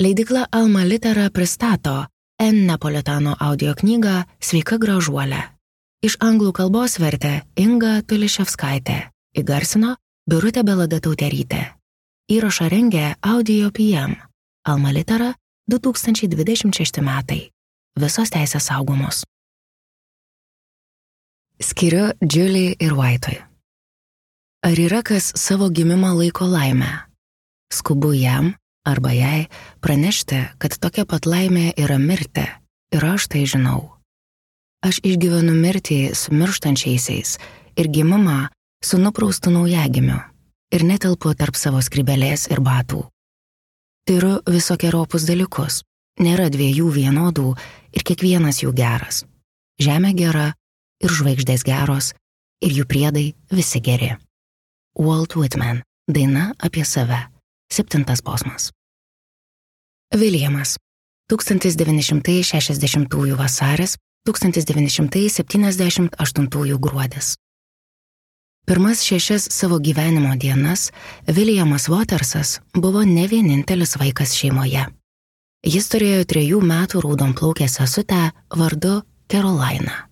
Leidykla Alma Litera pristato N. Napolitano audio knygą Sveika gražuolė. Iš anglų kalbos vertė Inga Tuliševskaitė, įgarsino Birutė Beladė-Tauterytė. Įrašą rengė Audio PM. Alma Litera 2026 metai. Visos teisės saugomos. Skiriu Julie ir White'ui. Ar yra kas savo gimimą laiko laimę? Skubu jam arba jai pranešti, kad tokia pat laimė yra mirti, ir aš tai žinau. Aš išgyvenu mirtį su mirštančiaisiais ir gimimą su nupraustu naujagimiu ir netelpu tarp savo skrybelės ir batų. Tyriu visokeriopus dalykus, nėra dviejų vienodų ir kiekvienas jų geras. Žemė gera ir žvaigždės geros ir jų priedai visi geri. Walt Whitman, daina apie save. 7 posmas. Viljamas. 1960 vasaris, 1978 gruodis. Pirmas 6 savo gyvenimo dienas Viljamas Watersas buvo ne vienintelis vaikas šeimoje. Jis turėjo 3 metų raudonplaukę sesutę vardu Carolina.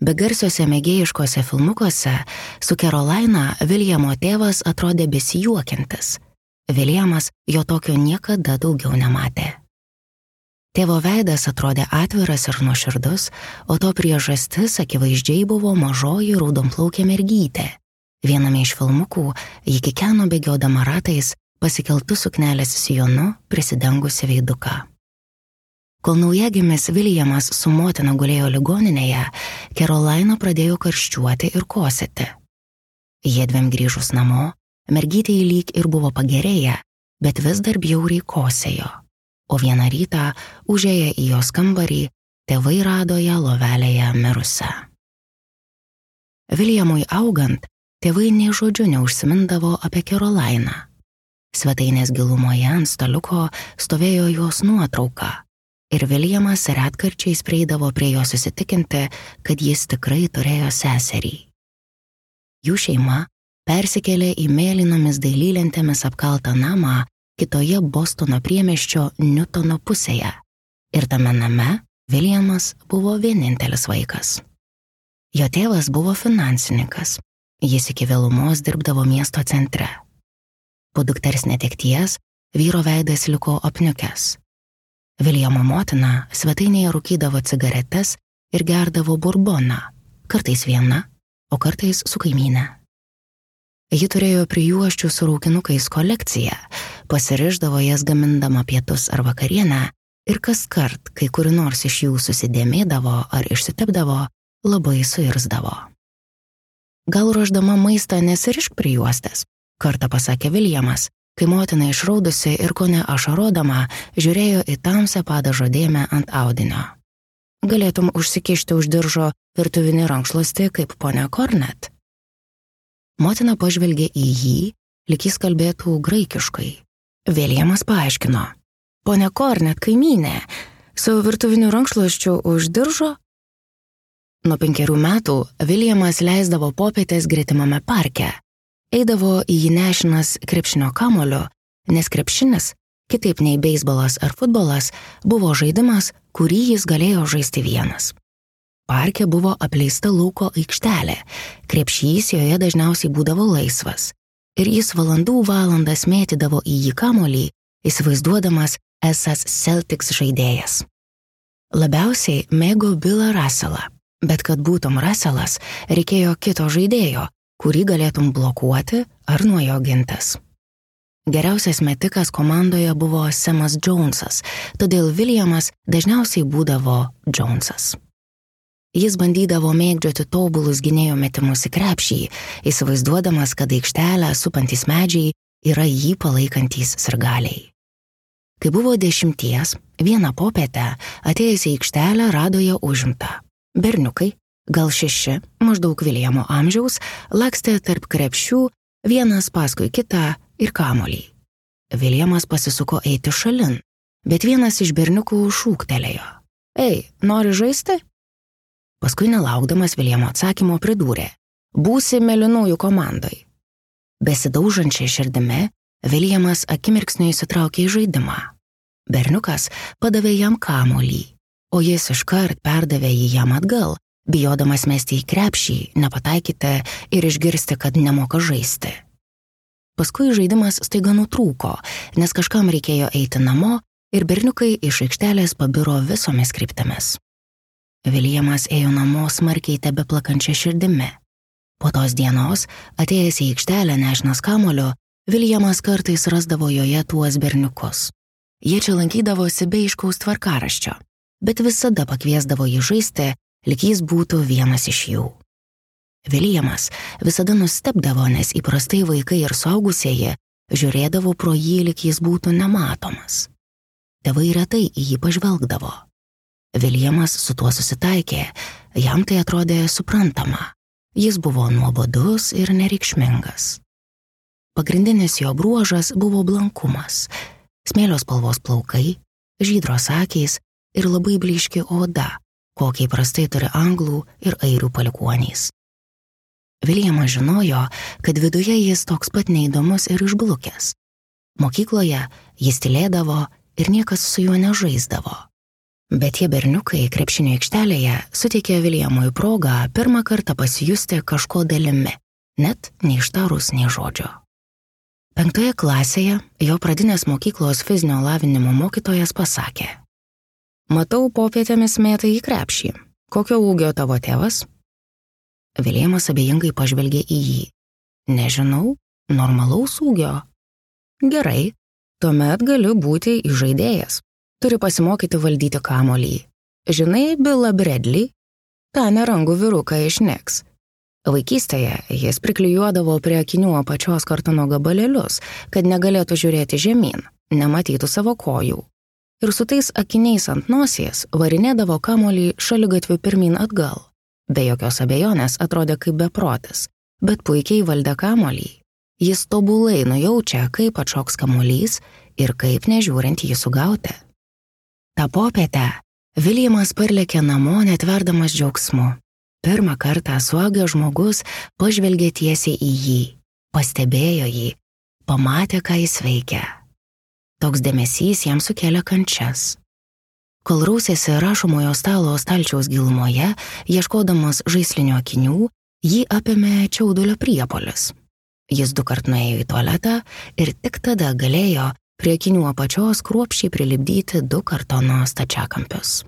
Begarsiuose mėgėjiškose filmukuose su Carolina Viljamo tėvas atrodė besijuokiantis. Viljamas jo tokio niekada daugiau nematė. Tėvo veidas atrodė atviras ir nuoširdus, o to priežastis akivaizdžiai buvo mažoji raudonplaukė mergytė. Viename iš filmukų ji kikeno bėgiodama ratais, pasikeltu suknelės sijonu prisidengusi veiduką. Kol naujagimis Viljamas su motina gulėjo ligoninėje, Carolina pradėjo karščiuoti ir kosėti. Jiedviem grįžus namo, mergytei lyg ir buvo pagerėję, bet vis dar bjauriai kosėjo. O vieną rytą, užėję į jos kambarį, tėvai rado ją lovelėje mirusią. Viljamui augant, tėvai nė žodžiu neužsimindavo apie Caroliną. Svetainės gilumoje ant staliuko stovėjo jos nuotrauka ir Viljamas retkarčiais prieidavo prie jos įsitikinti, kad jis tikrai turėjo seserį. Jų šeima persikėlė į mėlynomis dailylentėmis apkaltą namą kitoje Bostono priemiesčio Newtono pusėje ir tame name Viljamas buvo vienintelis vaikas. Jo tėvas buvo finansininkas, jis iki vėlumos dirbdavo miesto centre. Po dukters netekties vyro veidas liko apniukęs. Viljamo motina svetainėje rūkydavo cigaretes ir gerdavo burboną, kartais viena, o kartais su kaimyne. Ji turėjo prijuosčių su raukinukais kolekciją, pasiriždavo jas gamindama pietus ar vakarienę ir kaskart, kai kuri nors iš jų susidėmėdavo ar išsitepdavo, labai suirzdavo. Gal ruošdama maistą nesirišk prijuostės, kartą pasakė Viljamas, kai motina išraudusi ir kone ašarodama žiūrėjo į tamsią padažo dėmę ant audinio. Galėtum užsikišti už diržo virtuvinį rankšluostį kaip ponia Cornet. Motina pažvelgė į jį, lyg jis kalbėtų graikiškai. Viljamas paaiškino. Ponia Cornet kaimynė, su virtuviniu rankšluosčiu už diržo? Nuo 5 metų Viljamas leisdavo popietės gretimame parke. Eidavo į jį nešinas krepšinio kamuoliu, nes krepšinis, kitaip nei beisbolas ar futbolas, buvo žaidimas, kurį jis galėjo žaisti vienas. Parke buvo apleista lauko aikštelė, krepšys joje dažniausiai būdavo laisvas, ir jis valandų valandas mėtydavo į jį kamuolį, įsivaizduodamas esąs Celtics žaidėjas. Labiausiai mėgo Billą Russellą, bet kad būtum Russellas, reikėjo kito žaidėjo, kurį galėtum blokuoti ar nuo jo gintis. Geriausias metikas komandoje buvo Samas Jonesas, todėl Viljamas dažniausiai būdavo Jonesas. Jis bandydavo mėgdžioti tobulus gynėjo metimus į krepšį, įsivaizduodamas, kad aikštelę supantys medžiai yra jį palaikantys sirgaliai. Kai buvo 10, vieną popietę atėjęs į aikštelę rado ją užimtą. Berniukai, gal 6, maždaug Viljamo amžiaus, lakstė tarp krepšių, vienas paskui kitą ir kamuolį. Viljamas pasisuko eiti šalin, bet vienas iš berniukų šūktelėjo. Ei, nori žaisti? Paskui nelaukdamas Viljamo atsakymo pridūrė. Būsi mėlynųjų komandai. Besidaužančia širdimi, Viljamas akimirksniu įsitraukė į žaidimą. Berniukas padavė jam kamuolį, o jis iškart perdavė jį jam atgal, bijodamas mesti į krepšį, nepataikyti ir išgirsti, kad nemoka žaisti. Paskui žaidimas staiga nutrūko, nes kažkam reikėjo eiti namo ir berniukai iš aikštelės pabiro visomis kryptimis. Viljamas ėjo namo smarkiai tebeplakančia širdimi. Po tos dienos, atėjęs į aikštelę nešinas kamuoliu, Viljamas kartais rasdavo joje tuos berniukus. Jie čia lankydavosi be aiškaus tvarkaraščio, bet visada pakviesdavo jį žaisti, lyg jis būtų vienas iš jų. Viljamas visada nustebdavo, nes įprastai vaikai ir suaugusieji žiūrėdavo pro jį, lyg jis būtų nematomas. Tėvai retai į jį pažvelgdavo. Viljamas su tuo susitaikė, jam tai atrodė suprantama. Jis buvo nuobodus ir nereikšmingas. Pagrindinis jo bruožas buvo blankumas, smėlio spalvos plaukai, žydros akys ir labai blyški oda, kokiai prastai turi anglų ir airių palikuonys. Viljamas žinojo, kad viduje jis toks pat neįdomus ir išblukęs. Mokykloje jis tylėdavo ir niekas su juo nežaisdavo. Bet tie berniukai krepšinio aikštelėje suteikė Viljamui progą pirmą kartą pasijusti kažko dalimi, net neištarus nei žodžio. 5 klasėje jo pradinės mokyklos fizinio lavinimo mokytojas pasakė: "Matau, popietėmis mėtai į krepšį. Kokio ūgio tavo tėvas?" Viljamas abejingai pažvelgė į jį. "Nežinau, normalaus ūgio." "Gerai, tuomet gali būti įžaidėjas. Turi pasimokyti valdyti kamuolį. Žinai Billą Bradley? tą nerangų vyruką iš Knicks. Vaikystėje jis priklijuodavo prie akinių apačios kartono gabalėlius, kad negalėtų žiūrėti žemyn, nematytų savo kojų. Ir su tais akiniais ant nosies varinėdavo kamuolį šaligatviu pirmyn atgal. Be jokios abejonės atrodė kaip beprotis, bet puikiai valdė kamuolį. Jis tobulai nujaučia, kaip atšoks kamuolys ir kaip nežiūrint jį sugauti. Ta popietę Viljamas parlėkė namo netverdamas džiaugsmu. Pirmą kartą suaugęs žmogus pažvelgė tiesiai į jį, pastebėjo jį, pamatė, ką jis veikia. Toks dėmesys jam sukėlė kančias. Kol rausėsi rašomojo stalo stalčiaus gilumoje, ieškodamas žaislinių akinių, jį apėmė čiaudulio priepuolis. Jis 2 kart nuėjo į tualetą ir tik tada galėjo prie akinių apačios kruopščiai prilipdyti 2 kartono stačiakampius.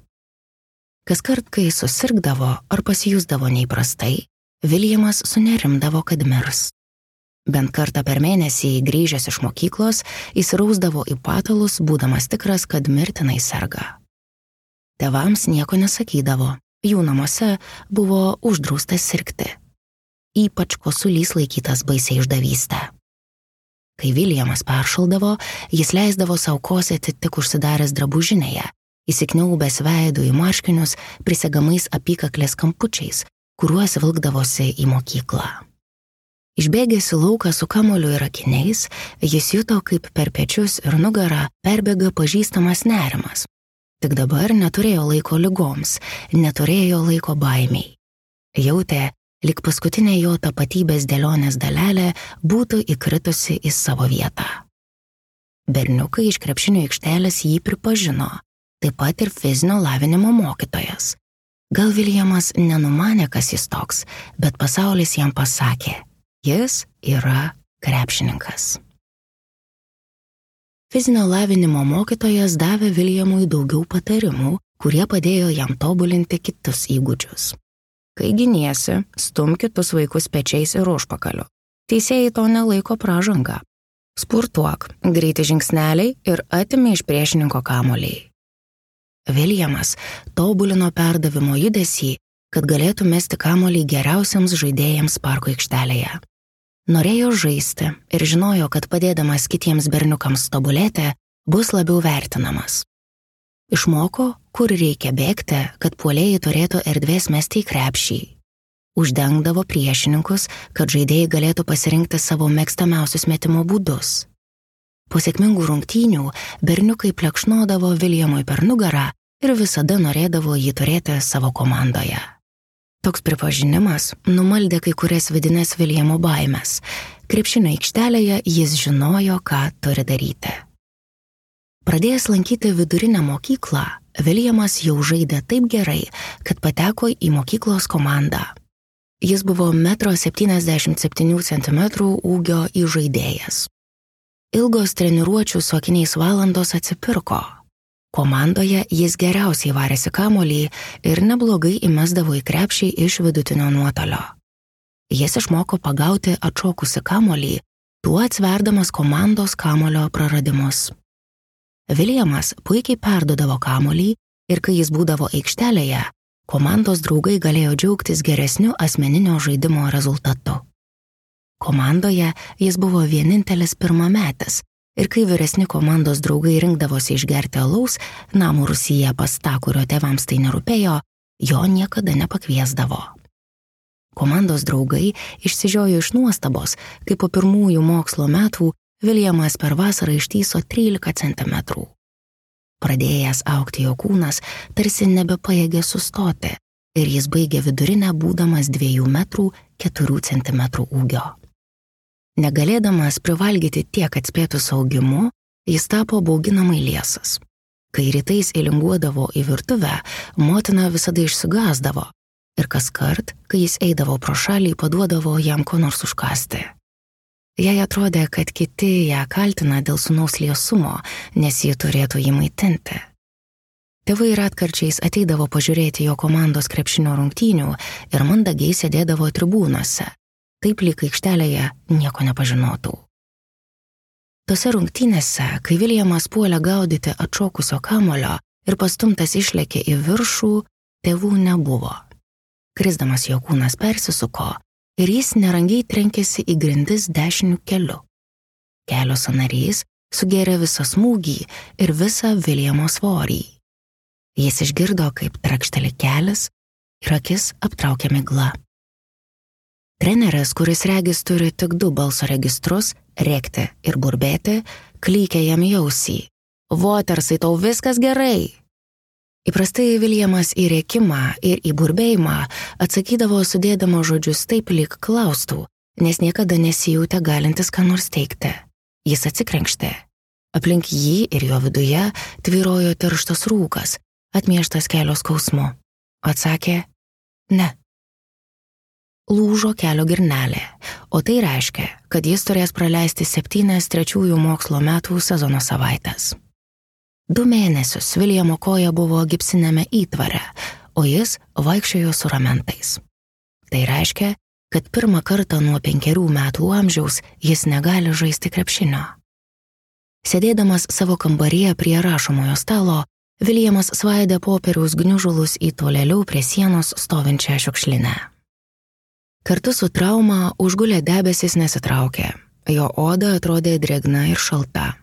Kaskart, kai susirgdavo ar pasijusdavo neįprastai, Viljamas sunerimdavo, kad mirs. Bent kartą per mėnesį grįžęs iš mokyklos, įsirausdavo į patalus, būdamas tikras, kad mirtinai serga. Tėvams nieko nesakydavo, jų namuose buvo uždrausta sirgti. Ypač kosulys laikytas baisiai išdavystę. Kai Viljamas peršaldavo, jis leisdavo sau kosėti tik užsidaręs drabužinėje, įsikniaubęs veidų į marškinius prisegamais apykaklės kampučiais, kuriuos vilkdavosi į mokyklą. Išbėgęs į lauką su kamuoliu ir akiniais, jis juto, kaip per pečius ir nugarą perbėga pažįstamas nerimas. Tik dabar neturėjo laiko ligoms, neturėjo laiko baimiai. Jautė, lyg paskutinė jo tapatybės dėlionės dalelė būtų įkritusi į savo vietą. Berniukai iš krepšinio aikštelės jį pripažino, taip pat ir fizinio lavinimo mokytojas. Gal Viljamas nenumanė, kas jis toks, bet pasaulis jam pasakė, jis yra krepšininkas. Fizinio lavinimo mokytojas davė Viljamui daugiau patarimų, kurie padėjo jam tobulinti kitus įgūdžius. Kai giniesi, stumk kitus vaikus pečiais ir užpakaliu. Teisėjai to nelaiko pražanga. Spurtuok, greiti žingsneliai ir atimi iš priešininko kamuolį. Viljamas tobulino perdavimo judesį, kad galėtų mesti kamuolį geriausiams žaidėjams parko aikštelėje. Norėjo žaisti ir žinojo, kad padėdamas kitiems berniukams tobulėti, bus labiau vertinamas. Išmoko, kur reikia bėgti, kad puolėjai turėtų erdvės mesti į krepšį. Uždengdavo priešininkus, kad žaidėjai galėtų pasirinkti savo mėgstamiausius metimo būdus. Po sėkmingų rungtynių berniukai plekšnodavo Viljamui per nugarą ir visada norėdavo jį turėti savo komandoje. Toks pripažinimas numaldė kai kurias vidines Viljamo baimes. Krepšinio aikštelėje jis žinojo, ką turi daryti. Pradėjęs lankyti vidurinę mokyklą, Williamas jau žaidė taip gerai, kad pateko į mokyklos komandą. Jis buvo 1,77 cm ūgio įžaidėjas. Ilgos treniruočių su akiniais valandos atsipirko. Komandoje jis geriausiai varėsi kamuolį ir neblogai įmesdavo į krepšį iš vidutinio nuotolio. Jis išmoko pagauti atšokusi kamuolį, tuo atsverdamas komandos kamuolio praradimus. Williamas puikiai perduodavo kamuolį ir kai jis būdavo aikštelėje, komandos draugai galėjo džiaugtis geresniu asmeninio žaidimo rezultatu. Komandoje jis buvo vienintelis pirmametis ir kai vyresni komandos draugai rinkdavosi išgerti alaus namų rūsyje pas tą, kurio tėvams tai nerūpėjo, jo niekada nepakviesdavo. Komandos draugai išsižiojo iš nuostabos, kai po pirmųjų mokslo metų Williamas per vasarą ištįso 13 cm. Pradėjęs augti jo kūnas tarsi nebepajėgė sustoti ir jis baigė vidurinę būdamas 2 metrų 4 cm ūgio. Negalėdamas privalgyti tiek atspėtų saugimu, jis tapo bauginamai liesas. Kai rytais įlinguodavo į virtuvę, motina visada išsigąsdavo ir kaskart, kai jis eidavo pro šalį, paduodavo jam ko nors užkąsti. Jai atrodė, kad kiti ją kaltina dėl sūnaus liesumo, nes ji turėtų jį maitinti. Tėvai retkarčiais ateidavo pažiūrėti jo komandos krepšinio rungtynių ir mandagiai sėdėdavo tribūnose, taip lyg aikštelėje nieko nepažinotų. Tose rungtynėse, kai Williamas puolė gaudyti atšokusio kamuolio ir pastumtas išlėkė į viršų, tėvų nebuvo. Krisdamas jo kūnas persisuko ir jis nerangiai trenkėsi į grindis dešiniu keliu. Kelio sąnarys sugėrė visą smūgį ir visą Williamo svorį. Jis išgirdo, kaip trakšteli kelias ir akis aptraukė migla. Treneris, kuris regis turi tik 2 balso registrus, rėkti ir burbėti, klykė jam į ausį. Watersai, tau viskas gerai. Įprastai Williamas į rėkimą ir į burbėjimą atsakydavo sudėdama žodžius taip lyg klaustų, nes niekada nesijautė galintis ką nors teikti. Jis atsikrenkštė. Aplink jį ir jo viduje tvyrojo tirštas rūkas, atmieštas kelio skausmu. Atsakė, ne. Lūžo kelio girnelė, o tai reiškia, kad jis turės praleisti 7 trečiųjų mokslo metų sezono savaites. 2 mėnesius Williamo koja buvo gipsinėme įtvare, o jis vaikščiojo su ramentais. Tai reiškia, kad pirmą kartą nuo 5 metų amžiaus jis negali žaisti krepšinio. Sėdėdamas savo kambaryje prie rašomojo stalo, Williamas svaidė popieriaus gniužulus į tolėliau prie sienos stovinčią šiukšlinę. Kartu su trauma užgulę debesis nesitraukė, jo oda atrodė drėgna ir šalta.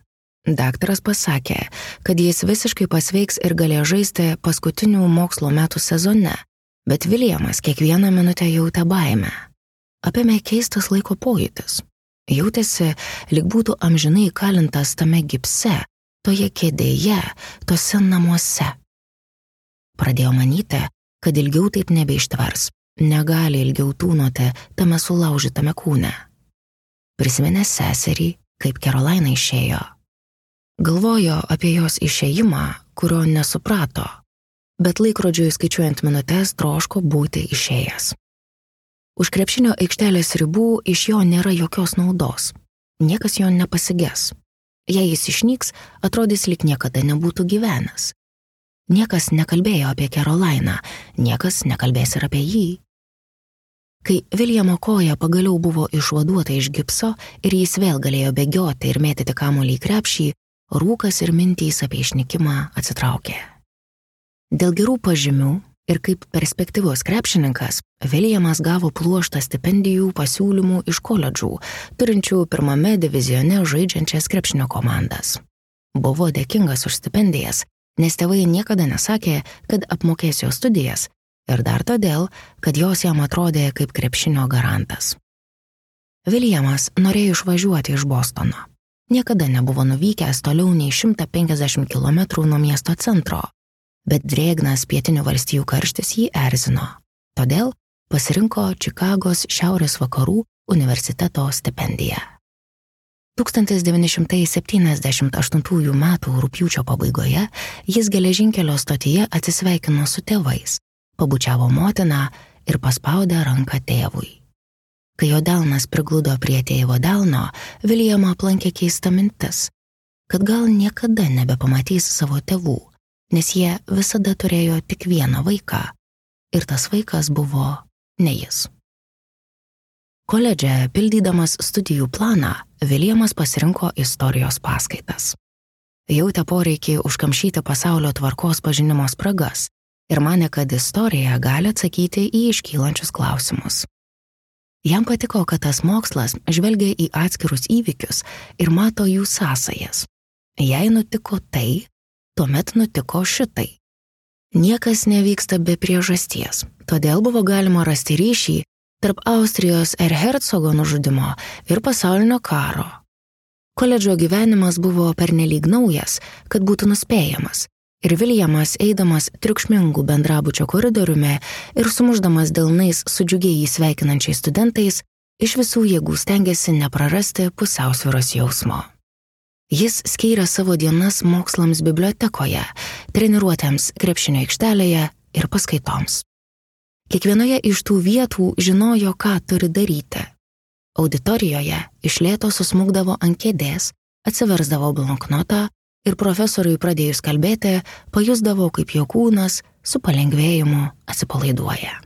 Daktaras pasakė, kad jis visiškai pasveiks ir galėjo žaisti paskutinių mokslo metų sezone, bet Williamas kiekvieną minutę jautė baimę. Apėmė keistas laiko pojūtis. Jautėsi, lyg būtų amžinai įkalintas tame gipse, toje kėdėje, tose namuose. Pradėjo manyti, kad ilgiau taip nebeištvers, negali ilgiau tūnoti tame sulaužytame kūne. Prisiminė seserį, kaip Carolina išėjo. Galvojo apie jos išėjimą, kurio nesuprato, bet laikrodžiui skaičiuojant minutes troško būti išėjęs. Už krepšinio aikštelės ribų iš jo nėra jokios naudos. Niekas jo nepasiges. Jei jis išnyks, atrodys lyg niekada nebūtų gyvenęs. Niekas nekalbėjo apie Caroliną, niekas nekalbės ir apie jį. Kai Williamo koja pagaliau buvo išvaduota iš gipso ir jis vėl galėjo bėgioti ir mėtyti kamuolį į krepšį, rūkas ir mintys apie išnykimą atsitraukė. Dėl gerų pažymių ir kaip perspektyvus krepšininkas, Williamas gavo pluoštą stipendijų pasiūlymų iš koledžų, turinčių pirmame divizione žaidžiančias krepšinio komandas. Buvo dėkingas už stipendijas, nes tėvai niekada nesakė, kad apmokės jo studijas, ir dar todėl, kad jos jam atrodė kaip krepšinio garantas. Williamas norėjo išvažiuoti iš Bostono. Niekada nebuvo nuvykęs toliau nei 150 km nuo miesto centro, bet drėgnas pietinių valstijų karštis jį erzino. Todėl pasirinko Čikagos šiaurės vakarų universiteto stipendiją. 1978 m. rugpjūčio pabaigoje jis geležinkelio stotyje atsisveikino su tėvais, pabučiavo motiną ir paspaudė ranką tėvui. Kai jo delnas prigludo prie tėvo delno, Williamą aplankė keista mintis, kad gal niekada nebepamatys savo tėvų, nes jie visada turėjo tik vieną vaiką ir tas vaikas buvo ne jis. Koledže, pildydamas studijų planą, Williamas pasirinko istorijos paskaitas. Jautė poreikį užkamšyti pasaulio tvarkos pažinimo spragas ir manė, kad istorija gali atsakyti į iškylančius klausimus. Jam patiko, kad tas mokslas žvelgia į atskirus įvykius ir mato jų sąsajas. Jei nutiko tai, tuomet nutiko šitai. Niekas nevyksta be priežasties, todėl buvo galima rasti ryšį tarp Austrijos Erhercogo nužudimo ir pasaulinio karo. Koledžo gyvenimas buvo pernelyg naujas, kad būtų nuspėjamas, ir Williamas, eidamas triukšmingų bendrabučio koridoriumi ir sumušdamas delnais su džiugiai sveikinančiais studentais, iš visų jėgų stengėsi neprarasti pusiausvyros jausmo. Jis skyrė savo dienas mokslams bibliotekoje, treniruotėms krepšinio aikštelėje ir paskaitoms. Kiekvienoje iš tų vietų žinojo, ką turi daryti. Auditorijoje iš lėto susmukdavo ant kėdės, atsiversdavo bloknotą ir profesoriui pradėjus kalbėti, pajusdavo, kaip jo kūnas su palengvėjimu atsipalaiduoja.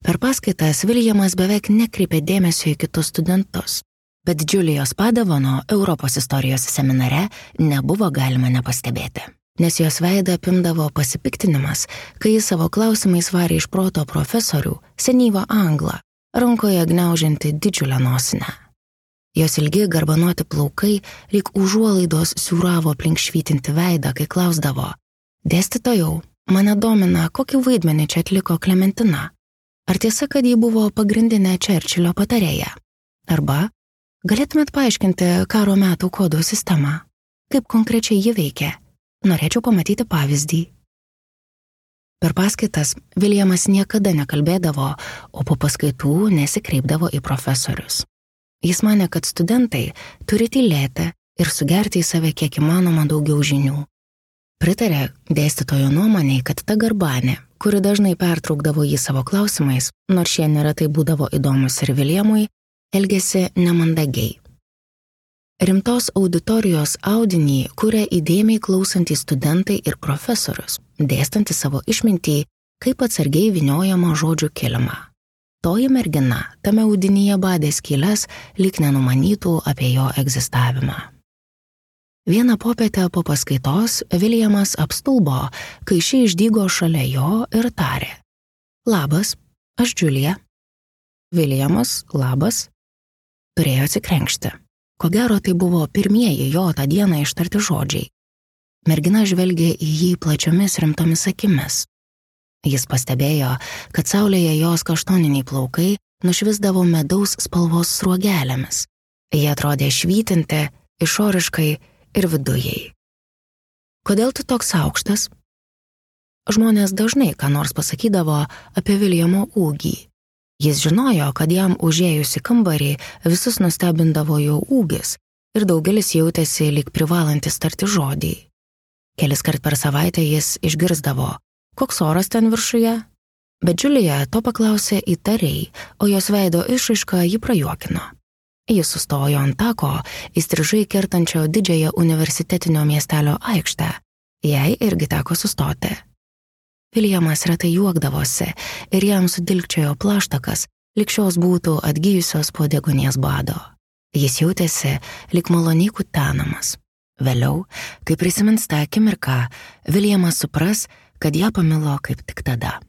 Per paskaitas Williamas beveik nekreipė dėmesio į kitus studentus, bet Julijos Padavano Europos istorijos seminare nebuvo galima nepastebėti, nes jos veidą apimdavo pasipiktinimas, kai jis savo klausimais varė iš proto profesorių, senyvą anglą, rankoje gniaužianti didžiulę nosinę. Jos ilgi garbanoti plaukai lyg užuolaidos siūravo aplink švytinti veidą, kai klausdavo: "Dėstytojau, mane domina, kokį vaidmenį čia atliko Klementina. Ar tiesa, kad ji buvo pagrindinė Čerčilio patarėja? Arba galėtumėt paaiškinti karo metų kodų sistemą? Kaip konkrečiai ji veikia? Norėčiau pamatyti pavyzdį." Per paskaitas Williamas niekada nekalbėdavo, o po paskaitų nesikreipdavo į profesorius. Jis manė, kad studentai turi tylėti ir sugerti į save kiek įmanoma daugiau žinių. Pritarė dėstytojo nuomonei, kad ta garbanė, kuri dažnai pertraukdavo jį savo klausimais, nors šie neretai būdavo įdomus ir Williamui, elgėsi nemandagiai. Rimtos auditorijos audinį kuria įdėmiai klausantys studentai ir profesorius, dėstantys savo išmintį, kaip atsargiai vyniojama žodžių kilimą. Toji mergina tame audinyje badė skyles, lyg nenumanytų apie jo egzistavimą. Vieną popietę po paskaitos Williamas apstulbo, kai ši išdygo šalia jo ir tarė: "Labas, aš Julija." Williamas, labas, turėjo atsikrenkšti. Ko gero, tai buvo pirmieji jo tą dieną ištarti žodžiai. Mergina žvelgė į jį plačiomis rimtomis akimis. Jis pastebėjo, kad saulėje jos kaštoniniai plaukai nušvisdavo medaus spalvos sruogelėmis. Jie atrodė švytinti išoriškai ir vidujai. "Kodėl tu toks aukštas?" Žmonės dažnai ką nors pasakydavo apie Williamo ūgį. Jis žinojo, kad jam užėjus į kambarį visus nustebindavo jo ūgis ir daugelis jautėsi lyg privalantis tarti žodį. Keliskart per savaitę jis išgirsdavo: "Koks oras ten viršuje?" Bet Julija to paklausė įtariai, o jos veido išraišką jį prajuokino. Jis sustojo ant tako, įstrižai kertančio didžiąją universitetinio miestelio aikštę. Jai irgi teko sustoti. Williamas retai juokdavosi ir jam sudilkčiojo plaštakas, lyg šios būtų atgijusios po degonės bado. Jis jautėsi lyg maloniai kutenamas. Vėliau, kai prisimins tą akimirką, Williamas supras, kad ją pamilo kaip tik tada.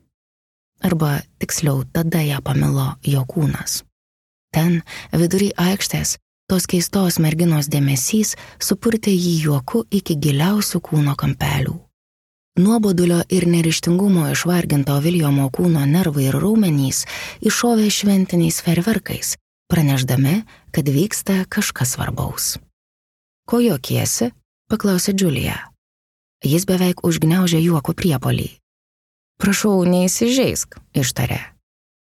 Arba tiksliau, tada ją pamilo jo kūnas. Ten, vidury aikštės, tos keistos merginos dėmesys supurtė jį juoku iki giliausių kūno kampelių. Nuobodulio ir neryžtingumo išvarginto Williamo kūno nervai ir raumenys iššovė šventiniais fejerverkais, pranešdami, kad vyksta kažkas svarbaus. "Ko juokiesi?" paklausė Julija. Jis beveik užgniaužė juoko priepolį. "Prašau, neįsižeisk", ištarė.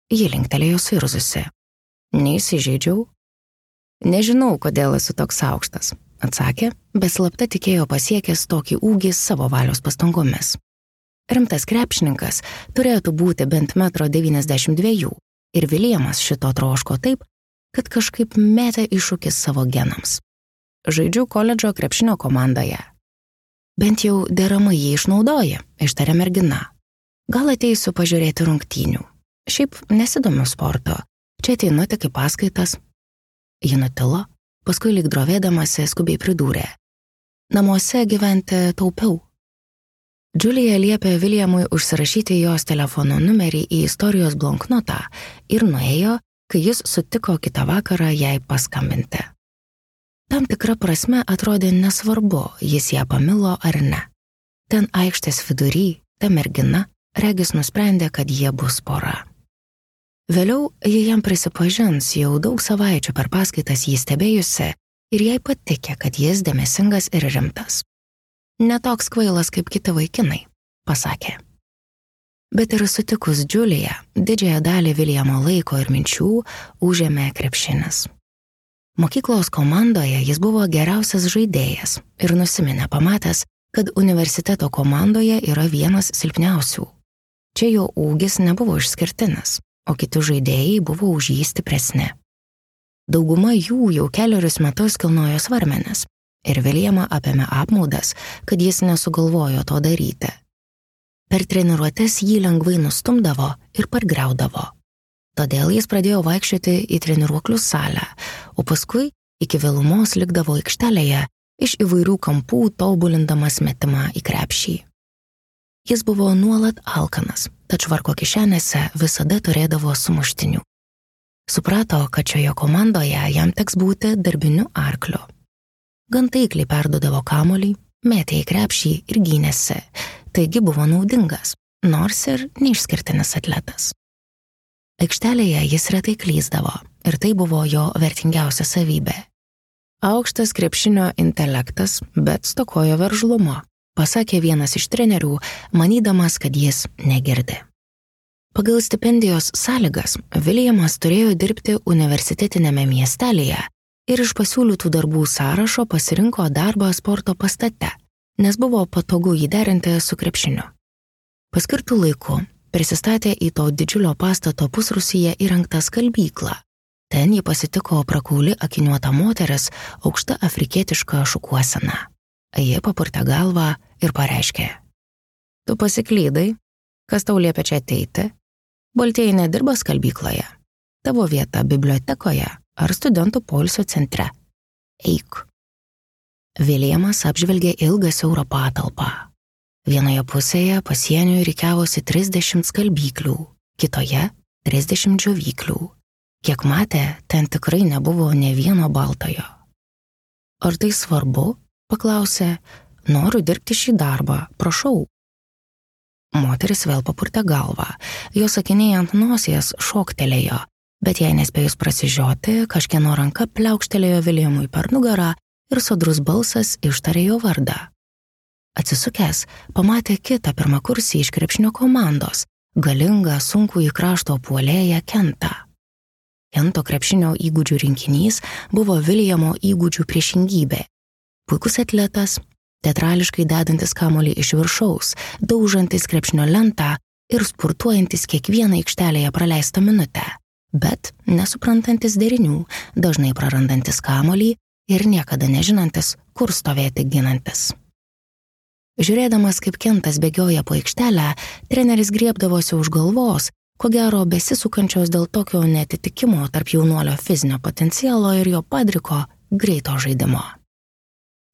Ji linktelėjo suirzusi. "Neįsižeidžiau." Nežinau, kodėl esu toks aukštas, atsakė, bet slapta tikėjo pasiekęs tokį ūgį savo valios pastangomis. Rimtas krepšininkas turėtų būti bent 1,92 m ir Viljamas šito troško taip, kad kažkaip metė iššūkis savo genams. Žaidžiu koledžo krepšinio komandoje. Bent jau deramai jį išnaudoja, ištarė mergina. Gal ateisiu pažiūrėti rungtynių. Šiaip nesidomiu sporto, čia ateinu tik į paskaitas. Ji nutilo, paskui lyg drovėdamasi skubiai pridūrė. Namuose gyventi taupiau. Džiulija liepė Viljamui užsirašyti jos telefono numerį į istorijos bloknotą ir nuėjo, kai jis sutiko kitą vakarą jai paskambinti. Tam tikra prasme atrodė nesvarbu, jis ją pamilo ar ne. Ten aikštės vidury, ta mergina, regis nusprendė, kad jie bus pora. Vėliau ji jam prisipažins, jau daug savaičių per paskaitas jį stebėjusi ir jai patikė, kad jis dėmesingas ir rimtas. Netoks kvailas kaip kiti vaikinai, pasakė. Bet ir sutikus Džiuliją, didžiąją dalį Viljamo laiko ir minčių užėmė krepšinis. Mokyklos komandoje jis buvo geriausias žaidėjas ir nusiminė pamatęs, kad universiteto komandoje yra vienas silpniausių. Čia jo ūgis nebuvo išskirtinis, o kiti žaidėjai buvo už jį stipresni. Dauguma jų jau kelerius metus kilnojo svarmenis ir Viljamą apėmė apmaudas, kad jis nesugalvojo to daryti. Per treniruotes jį lengvai nustumdavo ir pargriaudavo. Todėl jis pradėjo vaikščioti į treniruoklių salę, o paskui iki vėlumos likdavo aikštelėje iš įvairių kampų tobulindamas metimą į krepšį. Jis buvo nuolat alkanas, tad švarko kišenėse visada turėdavo sumuštinių. Suprato, kad šioje komandoje jam teks būti darbiniu arkliu. Gan taikliai perduodavo kamuolį, metė į krepšį ir gynėsi, taigi buvo naudingas, nors ir neišskirtinis atletas. Aikštelėje jis retai klysdavo ir tai buvo jo vertingiausia savybė. Aukštas krepšinio intelektas, bet stokojo veržlumo, pasakė vienas iš trenerių, manydamas, kad jis negirdi. Pagal stipendijos sąlygas Viljamas turėjo dirbti universitetinėme miestelėje ir iš pasiūlytų darbų sąrašo pasirinko darbą sporto pastate, nes buvo patogu jį derinti su krepšiniu. Paskirtų laiku prisistatė į to didžiulio pastato pusrūsyje įrengtą skalbyklą. Ten jį pasitiko prakauli akiniuota moteris aukšta afrikietiška šukuosena. Ji papurtė galvą ir pareiškė. Tu pasiklydai, kas tau liepia čia ateiti? Baltieji nedirba skalbykloje. Tavo vieta bibliotekoje ar studentų poilsio centre. Eik. Viljamas apžvelgė ilgą siaurą patalpą. Vienoje pusėje pasieniui rikiavosi 30 skalbyklių, kitoje 30 džiovyklių. Kiek matė, ten tikrai nebuvo nė vieno baltojo. Ar tai svarbu? Paklausė. Noriu dirbti šį darbą, prašau. Moteris vėl papurtė galvą. Jos akiniai ant nosies šoktelėjo, bet jai nespėjus prasižioti, kažkieno ranka pliaukštelėjo Viljamui per nugarą ir sodrus balsas ištarė jo vardą. Atsisukęs, pamatė kitą pirmakursį iš krepšinio komandos, galingą sunkųjį krašto puolėją Kentą. Kento krepšinio įgūdžių rinkinys buvo Viljamo įgūdžių priešingybė. Puikus atletas, teatrališkai dedantis kamuolį iš viršaus, daužantis krepšinio lentą ir spurtuojantis kiekvieną aikštelėje praleistą minutę, bet nesuprantantis derinių, dažnai prarandantis kamuolį ir niekada nežinantis, kur stovėti ginantis. Žiūrėdamas, kaip Kentas bėgioja po aikštelę, treneris griebdavosi už galvos, ko gero besisukančios dėl tokio neatitikimo tarp jaunuolio fizinio potencialo ir jo padriko greito žaidimo.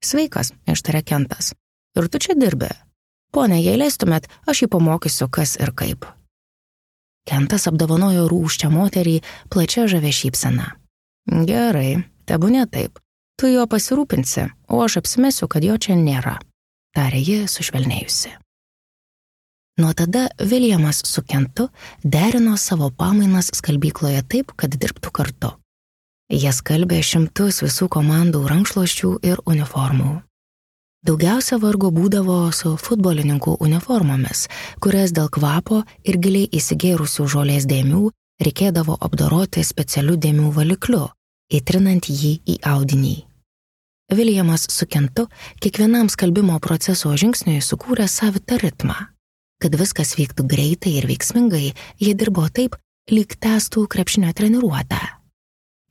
Sveikas, ištarė Kentas. Ir tu čia dirbi? Pone, jei leistumėt, aš jį pamokysiu, kas ir kaip. Kentas apdovanojo rūsčią moterį plačia žavia šypsena. Gerai, tebūnie taip. Tu jo pasirūpinsi, o aš apsimesiu, kad jo čia nėra, tarė ji sušvelnėjusi. Nuo tada Viljamas su Kentu derino savo pamainas skalbykloje taip, kad dirbtų kartu. Jie skalbė šimtus visų komandų rankšluosčių ir uniformų. Daugiausia vargo būdavo su futbolininkų uniformomis, kurias dėl kvapo ir giliai įsigėrusių žolės dėmių reikėdavo apdoroti specialiu dėmių valikliu, įtrinant jį į audinį. Williamas su Kentu kiekvienam skalbimo proceso žingsniui sukūrė savitą ritmą. Kad viskas vyktų greitai ir veiksmingai, jie dirbo taip, lyg tęstų krepšinio treniruotę.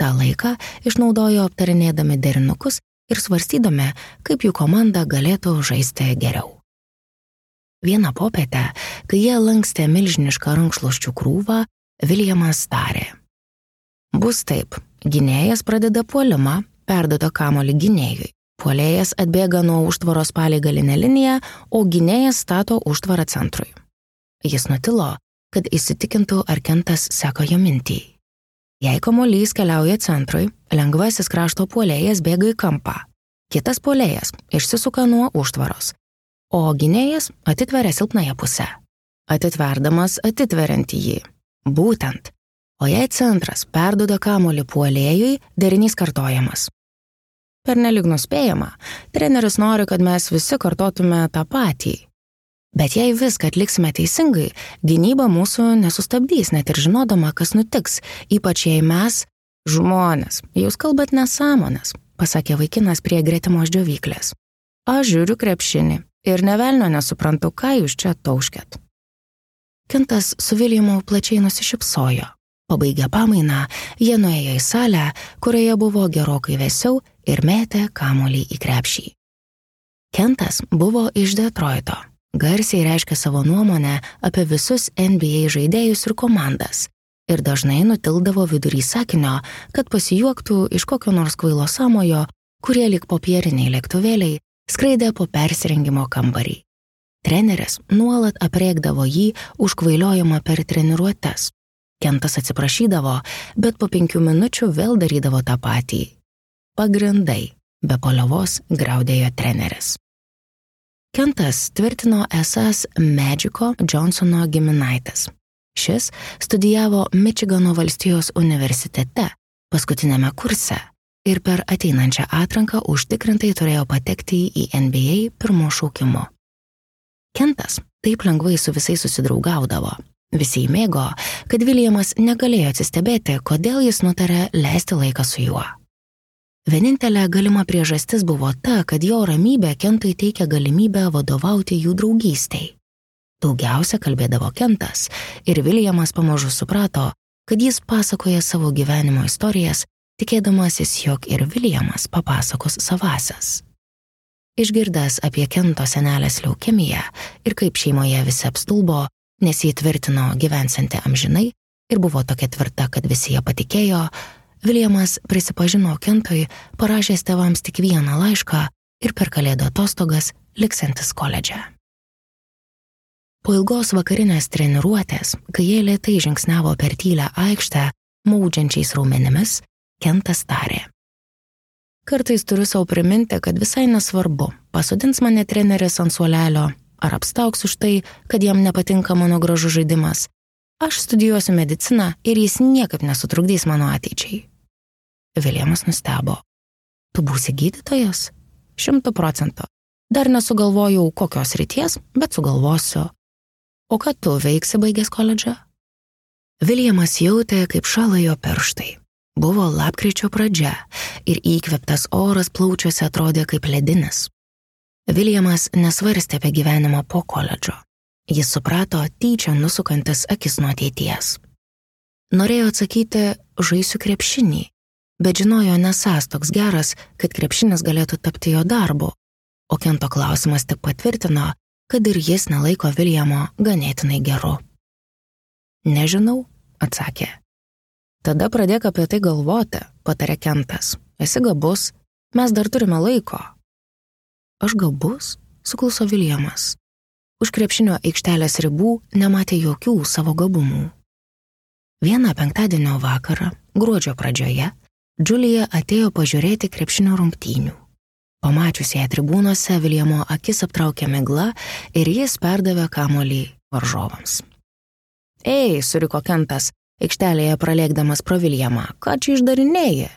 Ta laiką išnaudojo aptarinėdami derinukus ir svarstydami, kaip jų komanda galėtų žaisti geriau. Vieną popietę, kai jie lankstė milžinišką rankšluosčių krūvą, Williamas tarė: Bus taip, gynėjas pradeda puolimą, perduoda kamuolį gynėjui. Puolėjas atbėga nuo užtvaros palei galinę liniją, o gynėjas stato užtvarą centrui. Jis nutilo, kad įsitikintų, ar Kentas seka jo mintį. Jei kamuolys keliauja centrui, lengvasis krašto puolėjas bėga į kampą. Kitas puolėjas išsisuka nuo užtvaros, o gynėjas atitveria silpnąją pusę. Atitverdamas atitveriant jį. Būtent. O jei centras perduoda kamuolį puolėjui, derinys kartojamas. Pernelyg nuspėjama, treneris nori, kad mes visi kartotume tą patį. Bet jei viską atliksime teisingai, gynyba mūsų nesustabdys, net ir žinodama, kas nutiks, ypač jei mes, žmonės, jūs kalbat nesąmones, pasakė vaikinas prie gretimos džiovyklės. Aš žiūriu krepšinį ir nė velnio nesuprantu, ką jūs čia tauškėt. Kentas su Williamu plačiai nusišypsojo. Pabaigę pamainą, jie nuėjo į salę, kurioje buvo gerokai vėsiau ir metė kamuolį į krepšį. Kentas buvo iš Detroito, garsiai reiškė savo nuomonę apie visus NBA žaidėjus ir komandas ir dažnai nutildavo vidury sakinio, kad pasijuoktų iš kokio nors kvailo sąmojo, kurie lyg popieriniai lėktuvėliai skraidė po persirengimo kambarį. Treneris nuolat aprėkdavo jį už kvailiojimą per treniruotes. Kentas atsiprašydavo, bet po 5 minučių vėl darydavo tą patį. Pagrindai, be paliovos griaudėjo treneris. Kentas tvirtino esąs Magico Johnsono giminaitis. Šis studijavo Mičigano valstijos universitete, paskutinėme kurse, ir per ateinančią atranką užtikrintai turėjo patekti į NBA pirmo šaukimo. Kentas taip lengvai su visais susidraugaudavo. Visi įmėgo, kad Williamas negalėjo atsistebėti, kodėl jis nutarė leisti laiką su juo. Vienintelė galima priežastis buvo ta, kad jo ramybė Kentui teikia galimybę vadovauti jų draugystei. Daugiausia kalbėdavo Kentas ir Williamas pamažu suprato, kad jis pasakoja savo gyvenimo istorijas, tikėdamasis, jog ir Williamas papasakos savasias. Išgirdęs apie Kento senelės leukemiją ir kaip šeimoje visi apstulbo, nes jį tvirtino gyvensianti amžinai ir buvo tokia tvirta, kad visi ją patikėjo, Williamas prisipažino Kentui, parašęs tėvams tik vieną laišką ir per kalėdų atostogas liksantis koledže. Po ilgos vakarinės treniruotės, kai jie lėtai žingsniavo per tylią aikštę, maudžiančiais raumenimis, Kentas tarė: Kartais turiu savo priminti, kad visai nesvarbu, pasodins mane treneris ant suolelio, ar apstaugs už tai, kad jam nepatinka mano gražus žaidimas. Aš studijuosiu mediciną ir jis niekaip nesutrukdys mano ateičiai. Williamas nustebo. Tu būsi gydytojas? 100%. Dar nesugalvojau kokios srities, bet sugalvosiu. O ką tu veiksi baigęs koledžą? Williamas jautė, kaip šąla jo pirštai. Buvo lapkričio pradžia ir įkvėptas oras plaučiuose atrodė kaip ledinis. Williamas nesvarstė apie gyvenimą po koledžo. Jis suprato tyčia nusukantis akis nuo ateities. Norėjo atsakyti, žaisiu krepšinį, bet žinojo nesąs toks geras, kad krepšinis galėtų tapti jo darbu, o Kento klausimas tik patvirtino, kad ir jis nelaiko Williamo ganėtinai geru. Nežinau, atsakė. Tada pradėk apie tai galvoti, patarė Kentas. Esi gabus, mes dar turime laiko. Aš gabus, sukluso Williamas. Už krepšinio aikštelės ribų nematė jokių savo gabumų. Vieną penktadienio vakarą, gruodžio pradžioje, Džulija atėjo pažiūrėti krepšinio rungtynių. Pamačiusi ją tribūnose, Williamo akis aptraukė migla ir jis perdavė kamuolį varžovams. Ei, suriko Kentas, aikštelėje pralėkdamas pro Williamą, ką čia išdarinėji?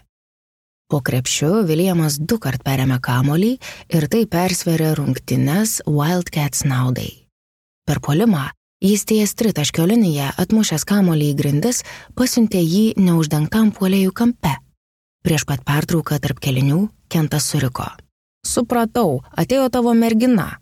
Po krepšiu Williamas 2 kart perėmė kamuolį ir tai persvėrė rungtynes Wildcats naudai. Per puolimą jis ties tritaškio liniją atmušęs kamuolį į grindis pasiuntė jį neuždengtam puolėjų kampe. Prieš pat pertrauką tarp kelinių Kentas suriko. Supratau, atėjo tavo mergina.